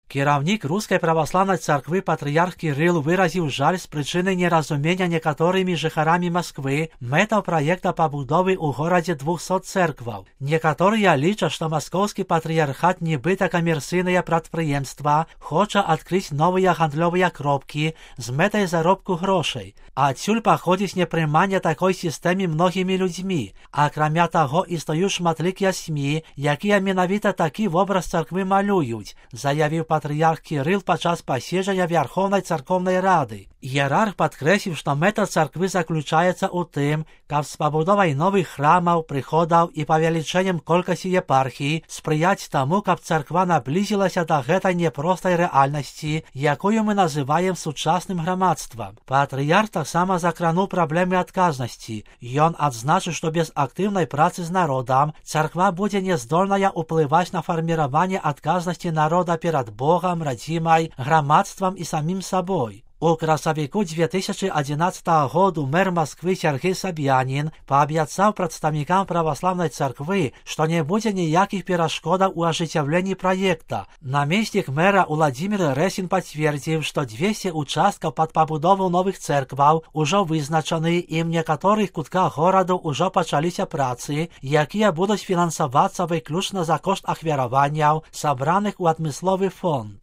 Кіраўнік рускай праваслаўнай царквы патрыярх Кірыл выразіў жаль з прычыны неразумення некаторымі жыхарамі Масквы мэтаў праекта пабудовы ў горадзе 200 цэркваў. Некаторыя лічаць, што маскоўскі патрыярхат нібыта камерцыйнае прадпрыемства хоча адкрыць новыя гандлёвыя кропкі з мэтай заробку грошай. Адсюль паходзіць непрыманне такой сістэмы многімі людзьмі. Акрамя таго, існуюць шматлікія СМІ, якія менавіта такі вобраз царквы малююць, заявіў патрыярх Кірыл падчас паседжання Вярхоўнай царкоўнай рады. Іерарх падкрэсліў, што мэта царквы заключаецца ў тым, каб з пабудовай новых храмаў, прыходаў і павелічэннем колькасці епархій спрыяць таму, каб царква наблізілася да гэтай непростай рэальнасці, якую мы называем сучасным грамадствам. Патрыярх таксама закрануў праблемы адказнасці. Ён адзначыў, што без актыўнай працы з народам царква будзе няздольная ўплываць на фарміраванне адказнасці народа перад Богам, радзімай, грамадствам і самім сабой. У красавіку 2011 году мэр Масквы Сергей Саб'янін паабяцаў прадстаўнікам праваслаўнай царквы, што не будзе ніякіх перашкодаў у ажыццяўленні праекта. Намеснік мэра Уладзімір Рэсін пацвердзіў, што 200 участкаў пад пабудову новых цэркваў ужо вызначаны і ў некаторых кутках гораду ўжо пачаліся працы, якія будуць фінансавацца выключна за кошт ахвяраванняў, сабраных у адмысловы фонд.